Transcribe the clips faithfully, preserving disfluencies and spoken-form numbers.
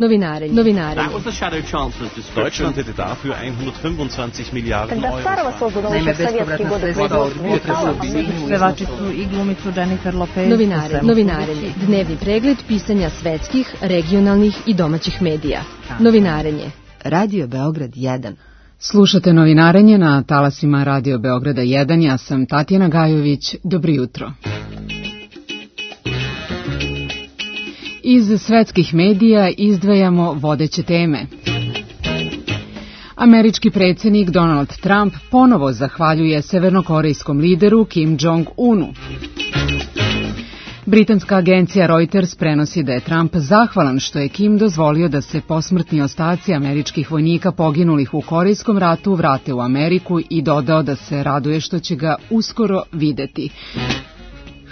Novinarenje. Novinarenje. Deutschland hätte dafür hundertfünfundzwanzig Miliarden Euro. Naime, bespovratna sredstva od pevačicu i glumicu Jennifer Lopez. Novinarenje. Novinarenje. Dnevni pregled pisanja svetskih, regionalnih i domaćih medija. Novinarenje. Radio Beograd jedan. Slušate Novinarenje na talasima Radio Beograda jedan. Ja sam Tatjana Gajović. Dobro jutro. Iz svetskih medija izdvajamo vodeće teme. Američki predsjednik Donald Trump ponovo zahvaljuje severnokorejskom lideru Kim Jong-unu. Britanska agencija Reuters prenosi da je Trump zahvalan što je Kim dozvolio da se posmrtni ostaci američkih vojnika poginulih u Korejskom ratu vrate u Ameriku i dodao da se raduje što će ga uskoro videti.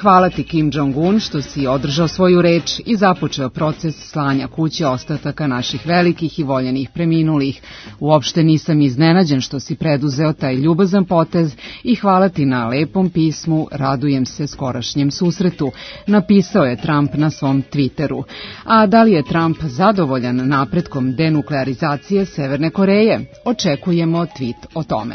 Hvala ti Kim Jong-un što si održao svoju reč i započeo proces slanja kuće ostataka naših velikih i voljenih preminulih. Uopšte nisam iznenađen što si preduzeo taj ljubazan potez i hvala ti na lepom pismu, radujem se skorašnjem susretu, napisao je Trump na svom Twitteru. A da li je Trump zadovoljan napretkom denuklearizacije Severne Koreje? Očekujemo tweet o tome.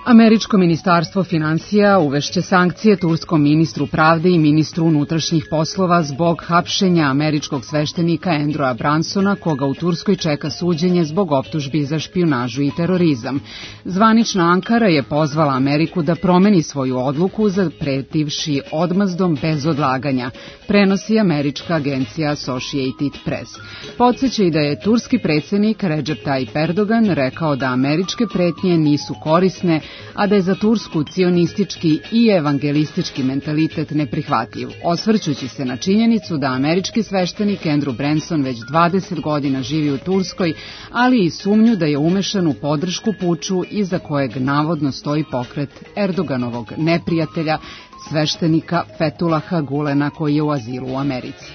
Američko ministarstvo finansija uvešće sankcije turskom ministru pravde i ministru unutrašnjih poslova zbog hapšenja američkog sveštenika Andrewa Bransona, koga u Turskoj čeka suđenje zbog optužbi za špijunažu i terorizam. Zvanična Ankara je pozvala Ameriku da promeni svoju odluku zapretivši odmazdom bez odlaganja, prenosi američka agencija Associated Press. Podseća i da je turski predsjednik Recep Tayyip Erdogan rekao da američke pretnje nisu korisne, a da je za Tursku cionistički i evangelistički mentalitet neprihvatljiv, osvrćući se na činjenicu da američki sveštenik Andrew Branson već dvadeset godina živi u Turskoj, ali i sumnju da je umešan u podršku puču iza kojeg navodno stoji pokret Erdoganovog neprijatelja, sveštenika Fethulaha Gulena koji je u azilu u Americi.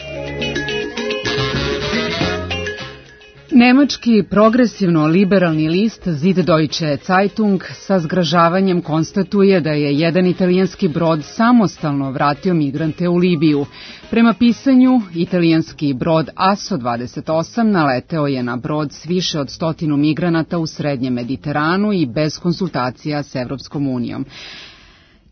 Nemački progresivno-liberalni list Süddeutsche Zeitung sa zgražavanjem konstatuje da je jedan italijanski brod samostalno vratio migrante u Libiju. Prema pisanju, italijanski brod Aso dvadeset osam naleteo je na brod s više od stotinu migranata u srednjem Mediteranu i bez konsultacija s Evropskom unijom.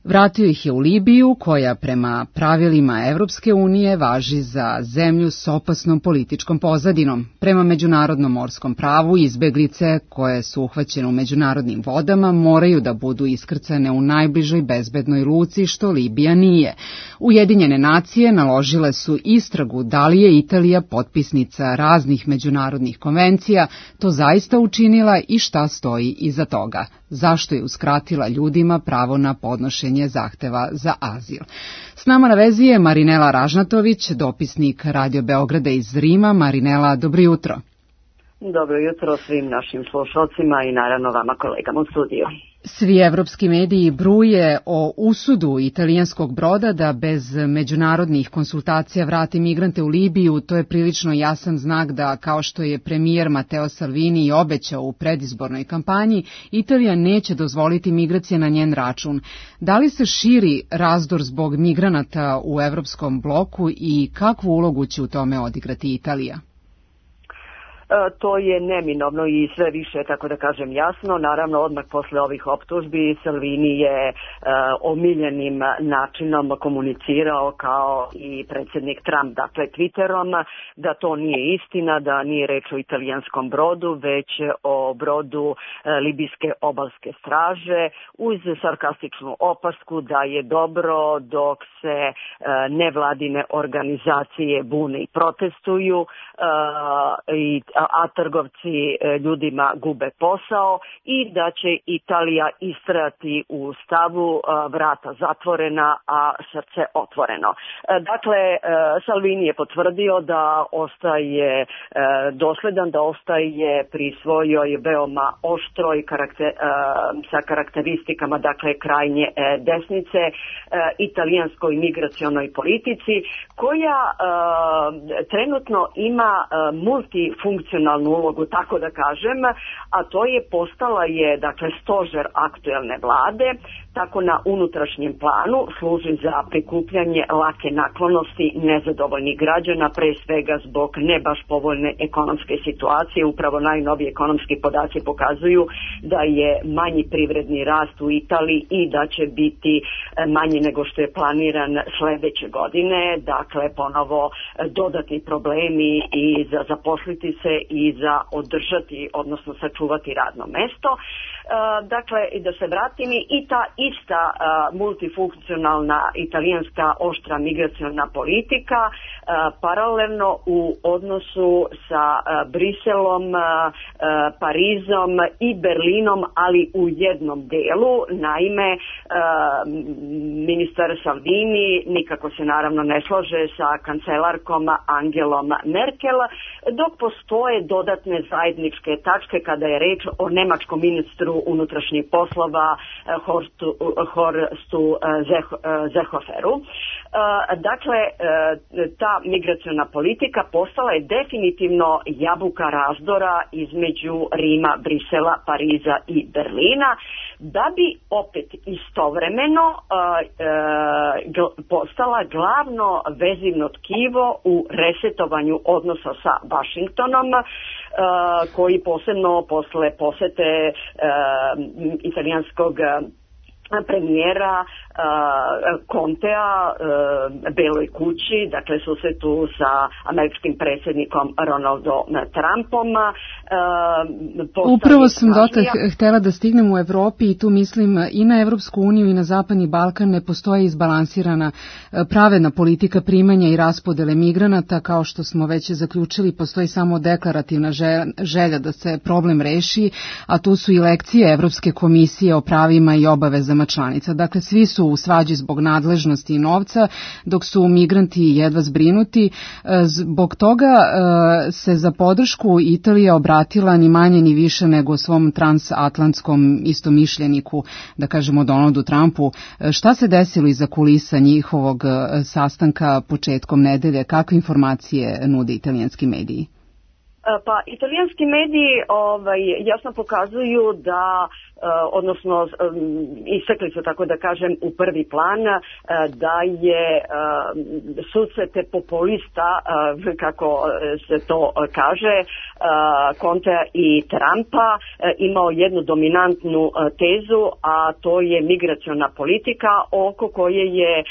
Vratio ih je u Libiju, koja prema pravilima Evropske unije važi za zemlju s opasnom političkom pozadinom. Prema međunarodnom morskom pravu, izbeglice koje su uhvaćene u međunarodnim vodama moraju da budu iskrcane u najbližoj bezbednoj luci, što Libija nije. Ujedinjene nacije naložile su istragu da li je Italija, potpisnica raznih međunarodnih konvencija, to zaista učinila i šta stoji iza toga. Zašto je uskratila ljudima pravo na podnošenje zahteva za azil. S nama na vezi je Marinela Ražnatović, dopisnik Radio Beograda iz Rima. Marinela, dobro jutro. Dobro jutro svim našim slušalcima i naravno vama kolegama u studiju. Svi evropski mediji bruje o usudu italijanskog broda da bez međunarodnih konsultacija vrati migrante u Libiju. To je prilično jasan znak da, kao što je premijer Matteo Salvini obećao u predizbornoj kampanji, Italija neće dozvoliti migracije na njen račun. Da li se širi razdor zbog migranata u evropskom bloku i kakvu ulogu će u tome odigrati Italija? To je neminovno i sve više, tako da kažem, jasno. Naravno, odmah posle ovih optužbi Salvini je uh, omiljenim načinom komunicirao kao i predsjednik Trump, dakle Twitterom, da to nije istina, da nije reč o italijanskom brodu, već o brodu uh, libijske obalske straže, uz sarkastičnu opasku da je dobro dok se uh, nevladine organizacije bune i protestuju uh, i a trgovci ljudima gube posao i da će Italija istrajati u stavu vrata zatvorena, a srce otvoreno. Dakle, Salvini je potvrdio da ostaje dosledan, da ostaje pri svojoj veoma oštroj karakter, sa karakteristikama, dakle, krajnje desnice, italijanskoj migracionoj politici, koja trenutno ima multifunkcionalnu multifunkcionalnu ulogu, tako da kažem, a to je postala je, dakle, stožer aktuelne vlade, tako na unutrašnjem planu služi za prikupljanje lake naklonosti nezadovoljnih građana, pre svega zbog ne baš povoljne ekonomske situacije. Upravo najnoviji ekonomski podaci pokazuju da je manji privredni rast u Italiji i da će biti manji nego što je planiran sledeće godine. Dakle, ponovo dodatni problemi i za zaposliti se i za održati, odnosno sačuvati radno mesto. Dakle, i da se vratim, i ta ista uh, multifunkcionalna italijanska oštra migraciona politika uh, paralelno u odnosu sa uh, Briselom, uh, uh, Parizom i Berlinom, ali u jednom delu. Naime, uh, ministar Salvini nikako se naravno ne slaže sa kancelarkom Angelom Merkel, dok postoje dodatne zajedničke tačke kada je reč o nemačkom ministru unutrašnjih poslova Horstu, Horstu Seehoferu. Dakle, ta migraciona politika postala je definitivno jabuka razdora između Rima, Brisela, Pariza i Berlina, da bi opet istovremeno postala glavno vezivno tkivo u resetovanju odnosa sa Vašingtonom, koji posebno posle posete italijanskog premijera Contea Beloj kući, dakle susretu sa američkim predsjednikom Ronaldom Trumpom. Upravo sam dotak htela da stignem u Evropi i tu mislim i na Evropsku uniju i na Zapadni Balkan ne postoje izbalansirana pravedna politika primanja i raspodele migranata. Kao što smo već zaključili, postoji samo deklarativna želja da se problem reši, a tu su i lekcije Evropske komisije o pravima i obavezama članica. Dakle, svi su u svađi zbog nadležnosti i novca, dok su migranti jedva zbrinuti. Zbog toga se za podršku Italija obratila ni manje ni više nego svom transatlantskom istomišljeniku, da kažemo Donaldu Trumpu. Šta se desilo iza kulisa njihovog sastanka početkom nedelje? Kakve informacije nude italijanski mediji? Pa, italijanski mediji ovaj, jasno pokazuju da odnosno istakli su, tako da kažem, u prvi plan da je susrete populista, kako se to kaže, Contea i Trumpa imao jednu dominantnu tezu, a to je migraciona politika oko koje je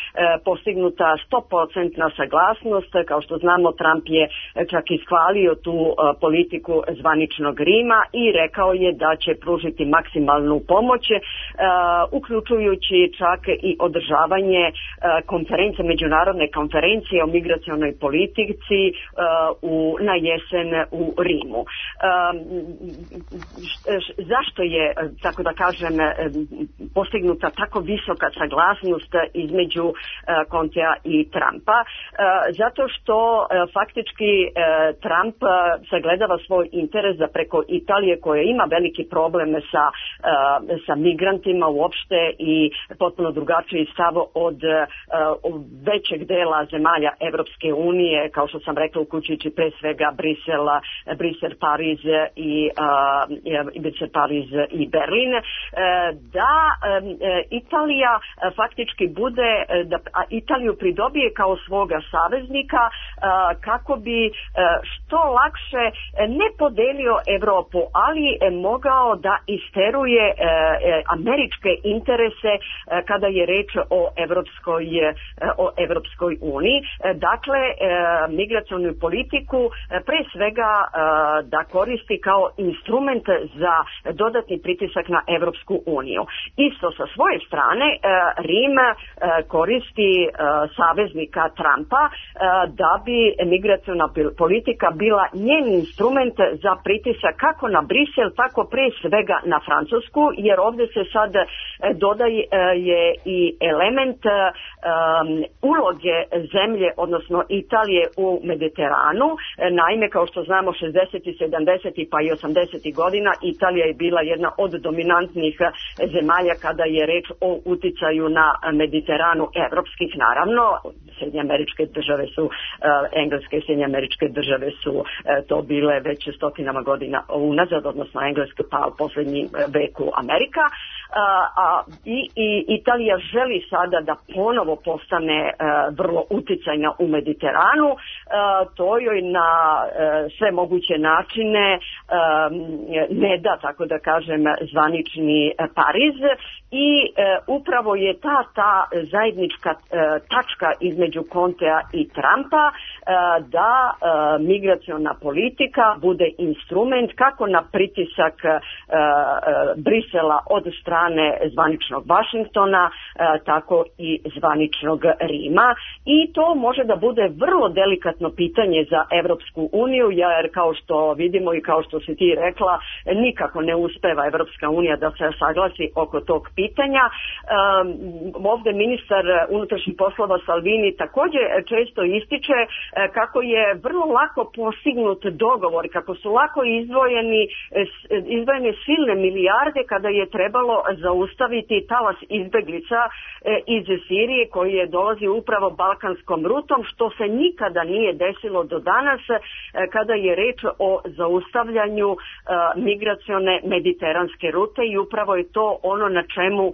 postignuta sto posto saglasnost. Kao što znamo, Trump je čak ishvalio tu politiku zvaničnog Rima i rekao je da će pružiti maksimalno pomoć, uh, uključujući čak i održavanje uh, konferencije, međunarodne konferencije o migracionoj politici uh, u, na jesen u Rimu. Uh, š, zašto je, tako da kažem, postignuta tako visoka saglasnost između uh, Contea i Trumpa? Uh, zato što uh, faktički uh, Trump uh, sagledava svoj interes da preko Italije, koja ima veliki problem sa sa migrantima uopšte i potpuno drugačiji stav od uh, većeg dela zemalja Evropske unije, kao što sam rekla, uključujući pre svega Brisel, Brisel, Pariz i uh, Brisel, Pariz i Berlin, uh, da um, Italija uh, faktički bude, uh, da Italiju pridobije kao svoga saveznika uh, kako bi uh, što lakše ne podelio Evropu, ali uh, mogao da isteruje američke interese kada je reč o Evropskoj, o Evropskoj uniji. Dakle, migracionu politiku pre svega da koristi kao instrument za dodatni pritisak na Evropsku uniju. Isto sa svoje strane, Rim koristi saveznika Trumpa da bi migraciona politika bila njen instrument za pritisak kako na Brisel, tako pre svega na Francusku, Francusku, jer ovdje se sad dodaje i element um, uloge zemlje, odnosno Italije u Mediteranu. Naime, kao što znamo, šezdesetih, sedamdesetih pa i osamdesetih godina Italija je bila jedna od dominantnih zemalja kada je reč o uticaju na Mediteranu evropskih, naravno. Sjedinjene Američke Države su, uh, Engleske i Sjedinjene Američke Države su uh, to bile već stotinama godina unazad, odnosno Engleska pa u posljednjem veku Amerika. Uh, a, i, i Italija želi sada da ponovo postane uh, vrlo uticajna u Mediteranu. Uh, to joj na uh, sve moguće načine um, ne da, tako da kažem, zvanični uh, Pariz i uh, upravo je ta, ta zajednička uh, tačka između Contea i Trumpa uh, da uh, migraciona politika bude instrument kako na pritisak uh, uh, Brisela od strane zvaničnog Vašingtona, tako i zvaničnog Rima. I to može da bude vrlo delikatno pitanje za Evropsku uniju, jer kao što vidimo i kao što si ti rekla, nikako ne uspeva Evropska unija da se saglasi oko tog pitanja. Ovdje ministar unutrašnjih poslova Salvini također često ističe kako je vrlo lako postignut dogovor, kako su lako izdvojeni, izdvojene silne milijarde kada je trebalo zaustaviti talas izbeglica e, iz Sirije koji je dolazi upravo balkanskom rutom, što se nikada nije desilo do danas e, kada je reč o zaustavljanju e, migracione mediteranske rute, i upravo je to ono na čemu e,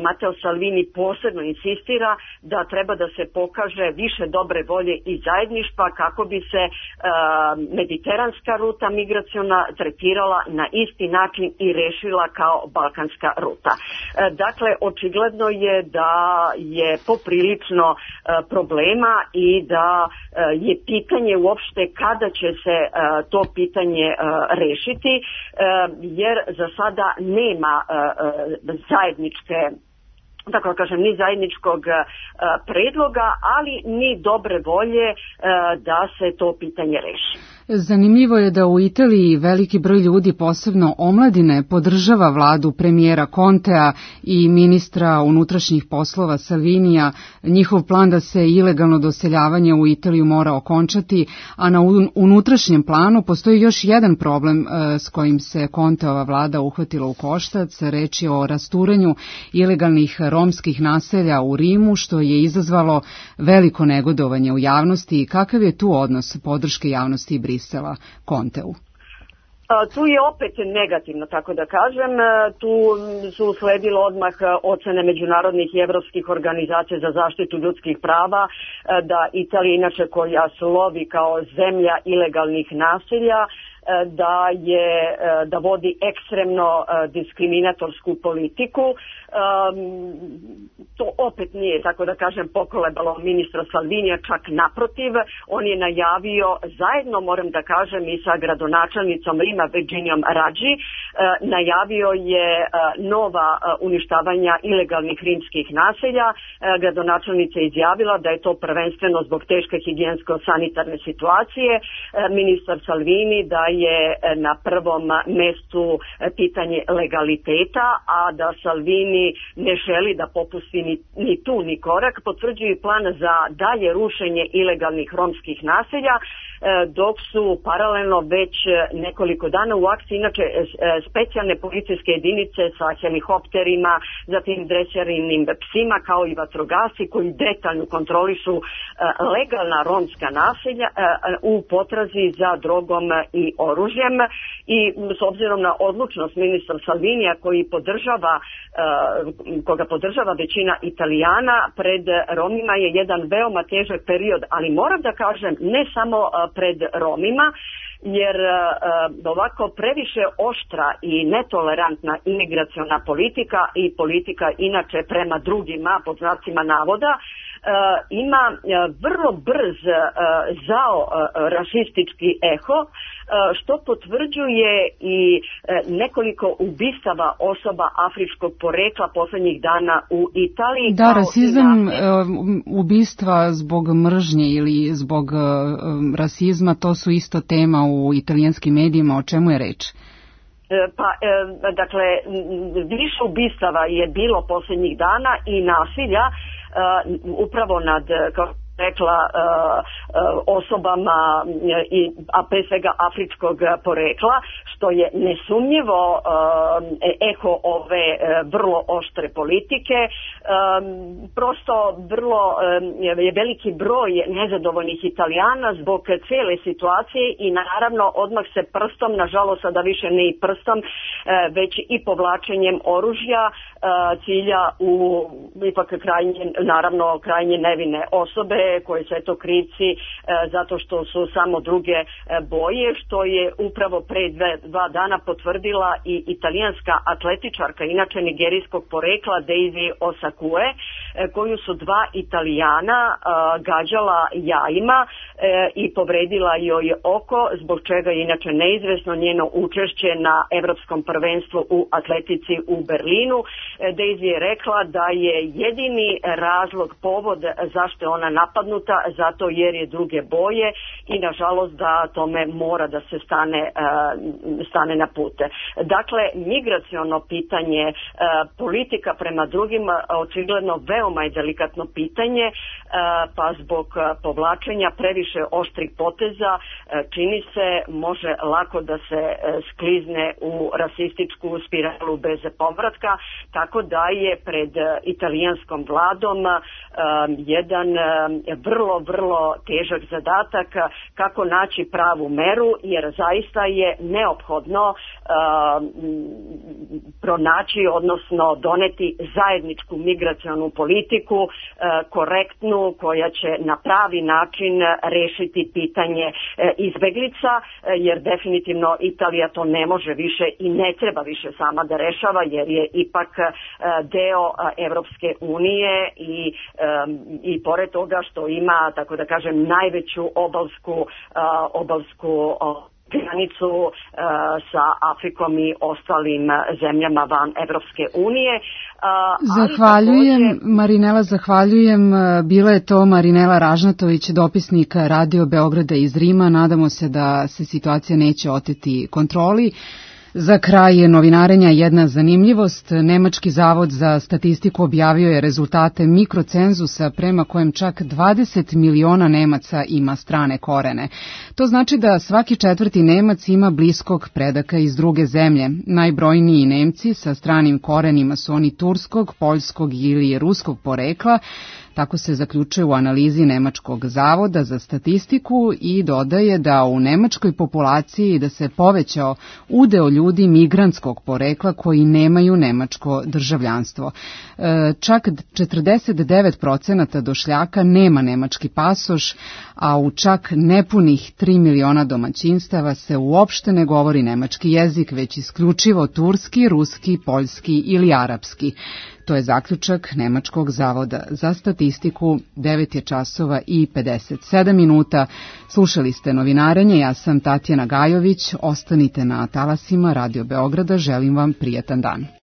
Matteo Salvini posebno insistira, da treba da se pokaže više dobre volje i zajedništva kako bi se e, mediteranska ruta migraciona tretirala na isti način i rešila kao balkanska ruta. Dakle, očigledno je da je poprilično problema i da je pitanje uopšte kada će se to pitanje rešiti, jer za sada nema zajedničke, tako kažem, ni zajedničkog predloga, ali ni dobre volje da se to pitanje reši. Zanimljivo je da u Italiji veliki broj ljudi, posebno omladine, podržava vladu premijera Contea i ministra unutrašnjih poslova Salvinija. Njihov plan da se ilegalno doseljavanje u Italiju mora okončati, a na unutrašnjem planu postoji još jedan problem s kojim se Conteova vlada uhvatila u koštac. Reč je o rasturanju ilegalnih romskih naselja u Rimu, što je izazvalo veliko negodovanje u javnosti. Kakav je tu odnos podrške javnosti i Brisela Conteu? Tu je opet negativno, tako da kažem. Tu su usledilo odmah ocene međunarodnih i evropskih organizacija za zaštitu ljudskih prava da Italija, inače koja slovi kao zemlja ilegalnih naselja, da je da vodi ekstremno diskriminatorsku politiku. To opet nije, tako da kažem, pokolebalo ministra Salvinija, čak naprotiv. On je najavio zajedno, moram da kažem, i sa gradonačelnicom Rima Virginijom Raggi, najavio je nova uništavanja ilegalnih rimskih naselja. Gradonačelnica je izjavila da je to prvenstveno zbog teške higijensko-sanitarne situacije. Ministar Salvini da je na prvom mestu pitanje legaliteta, a da Salvini ne želi da popusti ni, ni tu ni korak. Potvrđuju plan za dalje rušenje ilegalnih romskih naselja, dok su paralelno već nekoliko dana u akciji inače specijalne policijske jedinice sa helikopterima, zatim dresernim psima kao i vatrogasci koji detaljno kontrolišu legalna romska naselja u potrazi za drogom i oružjem. I s obzirom na odlučnost ministra Salvinija koji podržava, koga podržava većina Italijana, pred Romima je jedan veoma težak period, ali moram da kažem ne samo pred Romima, jer uh, ovako previše oštra i netolerantna imigraciona politika i politika inače prema drugima, pod znacima navoda, Uh, ima uh, vrlo brz uh, zao uh, rasistički eho, uh, što potvrđuje i uh, nekoliko ubistava osoba afričkog porekla poslednjih dana u Italiji. Da, rasizam, na... uh, ubistva zbog mržnje ili zbog uh, rasizma, to su isto tema u italijanskim medijima. O čemu je reč? Pa, dakle, više ubistava je bilo posljednjih dana i nasilja upravo nad, kao rekla, osobama, a pre svega afričkog porekla, što je nesumnjivo eho ove vrlo oštre politike. Prosto vrlo je veliki broj nezadovoljnih Italijana zbog cijele situacije i naravno odmah se prstom, nažalost sada više ne i prstom, već i povlačenjem oružja cilja u ipak krajnje, naravno krajnje nevine osobe koje su eto krivci zato što su samo druge boje, što je upravo pre dve, dva dana potvrdila i italijanska atletičarka, inače nigerijskog porekla, Daisy Osakue, koju su dva Italijana gađala jajima i povredila joj oko, zbog čega je inače neizvesno njeno učešće na Evropskom prvenstvu u atletici u Berlinu. Daisy je rekla da je jedini razlog, povod zašto je ona napadnuta, zato jer je druge boje i nažalost da tome mora da se stane, stane na pute. Dakle, migraciono pitanje, politika prema drugima očigledno veoma je delikatno pitanje, pa zbog povlačenja previše oštrih poteza čini se može lako da se sklizne u rasističku spiralu bez povratka, tako da je pred italijanskom vladom jedan vrlo, vrlo težak zadatak kako naći pravu meru, jer zaista je neophodno pronaći, odnosno doneti zajedničku migracionu politiku, korektnu, koja će na pravi način rešiti pitanje izbeglica, jer definitivno Italija to ne može više i ne treba više sama da rešava, jer je ipak deo Evropske unije i, i pored toga što ima, tako da kažem, najveću obalsku, obalsku granicu uh, sa Afrikom i ostalim zemljama van Evropske unije. Uh, zahvaljujem, takođe... Marinela, zahvaljujem. Bila je to Marinela Ražnatović, dopisnik Radio Beograda iz Rima. Nadamo se da se situacija neće oteti kontroli. Za kraj novinarenja jedna zanimljivost. Nemački zavod za statistiku objavio je rezultate mikrocenzusa prema kojem čak dvadeset miliona Nemaca ima strane korene. To znači da svaki četvrti Nemac ima bliskog predaka iz druge zemlje. Najbrojniji Nemci sa stranim korenima su oni turskog, poljskog ili ruskog porekla. Tako se zaključuje u analizi Nemačkog zavoda za statistiku i dodaje da u nemačkoj populaciji da se povećao udeo ljudi migrantskog porekla koji nemaju nemačko državljanstvo. Čak četrdeset devet procenata došljaka nema nemački pasoš, a u čak nepunih tri miliona domaćinstava se uopšte ne govori nemački jezik, već isključivo turski, ruski, poljski ili arapski. To je zaključak Nemačkog zavoda za statistiku. Devet je časova i pedeset sedam minuta. Slušali ste novinarenje, ja sam Tatjana Gajović. Ostanite na talasima Radio Beograda, želim vam prijatan dan.